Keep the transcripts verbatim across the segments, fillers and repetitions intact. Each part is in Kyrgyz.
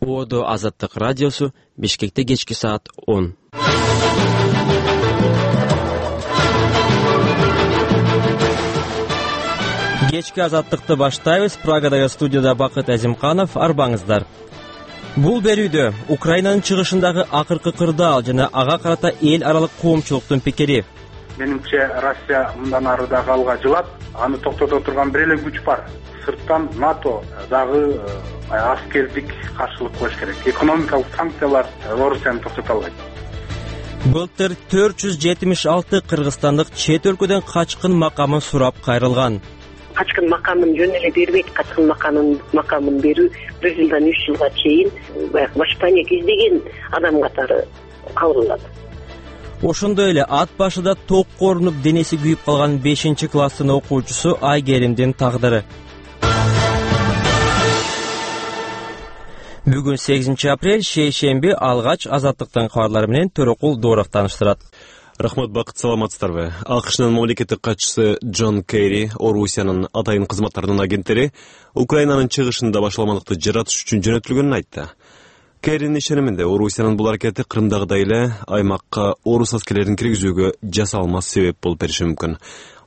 Оодо Азаттык радиосу, Бишкекте кечки саат он. Кечки азаттыкты баштайбыз. Прагадагы студияда Бакыт Азимканов, арбаңыздар. Бул берүүдө Украинанын чыгышындагы акыркы кырдаал жана ага карата эл аралык коомчулуктун пикири. Менимче Россия мындан ары да галга жылат. Аны токтото турган бир эле күч бар. Сырттан НАТО дагы аскердик каршылык коюш керек. Экономикалык санкциялар Орусияны токтото албайт. Былтыр төрт жүз жетимиш алты кыргызстандык чет өлкөдөн качкын макамын сурап кайрылган. Качкын макамын жөн эле бербейт. Качкын макамын макамын берүү бир жылдан үч жылга чейин баягы башпанек издеген адам катары кабылданат. Ошондой эле ат башыда ток корунуп денеси күйүп калган бешинчи класстын окуучусу Айгеримдин тагдыры. Бүгүн сегизинчи апрель, шейшемби, алгач азаттыктын кабарлары менен Төрөкул Дооров тааныштырат. Рахмат, Бакыт, саламатсыздарбы? АКШнын мамлекеттик катчысы Джон Керри, Орусиянын атайын кызматтарынын агенттери Украинанын чыгышында башаламандыкты жаратыш үчүн жөнөтүлгөнүн айтты. Керринин ишениминде Орусиянын бул аракети Крымдагыдай эле аймакка орус аскерлерин киргизүүгө жасалмас себеп болуп бериши мүмкүн.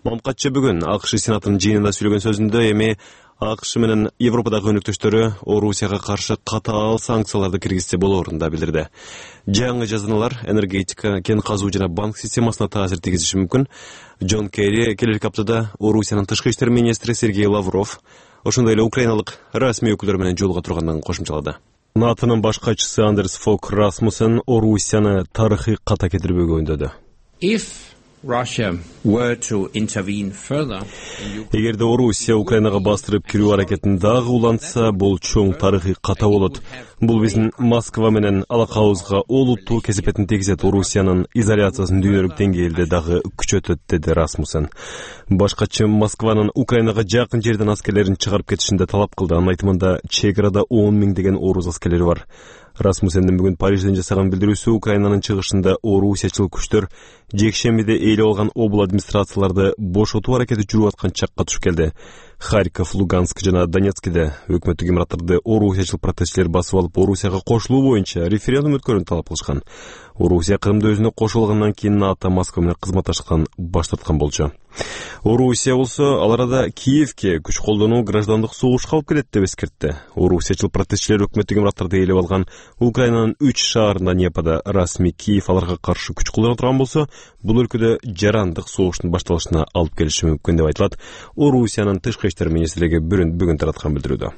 Мамкатчы бүгүн АКШ Сенатынын жыйынында сүйлөгөн сөзүндө эми АКШ менен Европадагы өнөктөштөрү Орусияга каршы катаал санкцияларды киргизсе болоорун да билдирди. Жаңы жазаналар энергетика, кен казуу жана банк системасына таасир тийгизиши мүмкүн. Джон Керри келерки аптада Орусиянын тышкы иштер министри Сергей Лавров, ошондой эле украиналык расмий өкүлдөр менен жолуга турганын кошумчалады. НАТОнун баш катчысы Андерс Фог Расмуссен Орусияны тарыхый ката кетирбөөгө үндөдү. Эгерде Орусия Украинага бастырып кирүү аракетин дагы улантса, бул чоң тарыхый ката болот. Бул биздин Москва менен алакабызга олуттуу кесепетин тийгизет, Орусиянын изоляциясын дүйнөлүк деңгээлде дагы күчөтөт, деди Расмуссен. Башкачы Москванын Украинага жакын жерден аскерлерин чыгарып кетишинде талап кылды. Анын айтымында чек арада он миңдеген орус аскерлери бар. Расмуссендин бүгүн Парижден жасаган билдирүүсү Украинанын чыгышында орусиячыл күчтөр жекшембиде ээлеп алган обул администрацияларды бошотуу аракети жүрүп аткан чакка туш келди. Харьков, Луганск жана Донецкиде өкмөттүк имараттарды орусиячыл протестчилер басып алып, Орусияга кошулуу боюнча референдум өткөрүүнү талап кылышкан. Орусия Крымды өзүнө кошулгандан кийин НАТО Москва менен кызматташкан баш тарткан болчу. Орусия болсо ал арада Киевке күч колдонуу граждандык согушка алып келет деп эскертти. Орусиячыл протестчилер өкмөттүк имараттарды ээлеп алган Украинанын үч шаарында Непада расмий Киев аларга каршы күч колдоно турган болсо, бул өлкөдө жарандык согуштун башталышына алып келиши мүмкүн деп айтылат Орусиянын тышкы иштер министрлиги бүгүн тараткан билдирүүдө.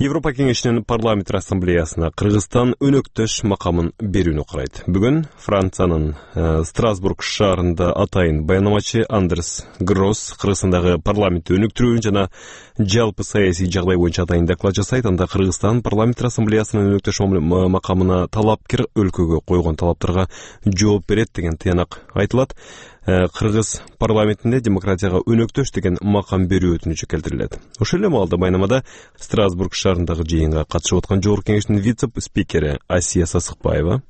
Европа кеңешинин парламент ассамблеясына Кыргызстан өнөктөш макамын берүүнү карайт. Бүгүн Франциянын э, Страсбург шаарында атайын баянамачы Андерс Гросс Кыргызстандагы парламентти өнүктүрүү жана жалпы саясий жагдай боюнча атайын доклад жасайт. Анда Кыргызстан парламент ассамблеясынын өнөктөш макамына талапкер өлкөгө койгон талаптарга жооп берет деген тыянак айтылат. Кыргыз парламентинде демократияга өнөктөш деген макам берүү өтүнүчү келтирилет. Ошол эле маалда баянамада Страсбург шаарындагы жыйынга катышып аткан жогорку кеңештин вице-спикери Асия Сасыкбаева: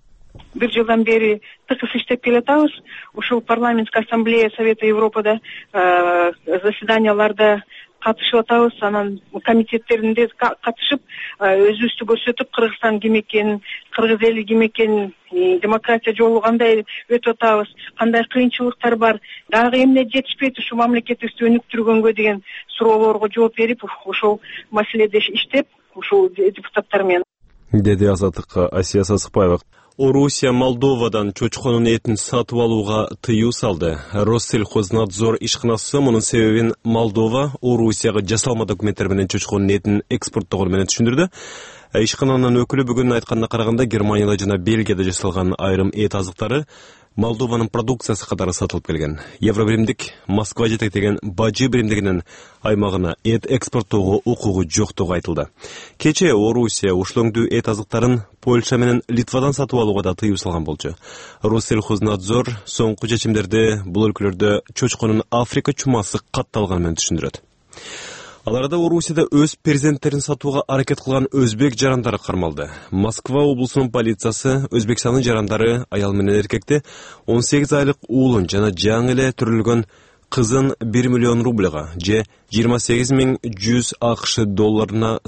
бир жылдан бери тыкыз иштеп келатабыз. Ушул парламенттик ассамблея Совета Европада заседанияларда катышып атабыз, анан комитеттеринде катышып өзүбүздү көрсөтүп, Кыргызстан ким экенин, кыргыз эли ким экенин, демократия жолу кандай өтүп атабыз, кандай кыйынчылыктар бар, дагы эмне жетишпейт ушу мамлекетибизди өнүктүргөнгө деген суроолорго жооп берип, ошол маселеде иштеп, ушул депутаттар менен, деди Азаттыкка Асия Сасыкбаева. Орусия Молдовадан чочконун этин сатып алууга тыюу салды. Россельхознадзор ишканасы мунун себебин Молдова Орусияга жасалма документтер менен чочконун этин экспорттогону менен түшүндүрдү. Ишкананын өкүлү бүгүн айтканына караганда, Германияда жана Бельгияда жасалган айрым эт азыктары Молдованын продукциясы катары сатылып келген. Евробиримдик Москва жетектеген бажы биримдигинин аймагына эт экспорттоого укугу жоктугу айтылды. Кечээ Орусия ушлоңдуу эт азыктарын Польша менен Литвадан сатып алууга да тыюу салган болчу. Россельхознадзор соңку чечимдерди бул өлкөлөрдө чочконун Африка чумасы катталганы менен түшүндүрөт. Аларда Орусияда өз перзенттерин сатууга аракет кылган өзбек жарандары кармалды. Москва облусунун полициясы Өзбекстандын жарандары аял менен эркекти он сегиз айлык уулун жана жаңы эле төрөлгөн кызын бир миллион рубльга же жыйырма сегиз миң жүз АКШ долларына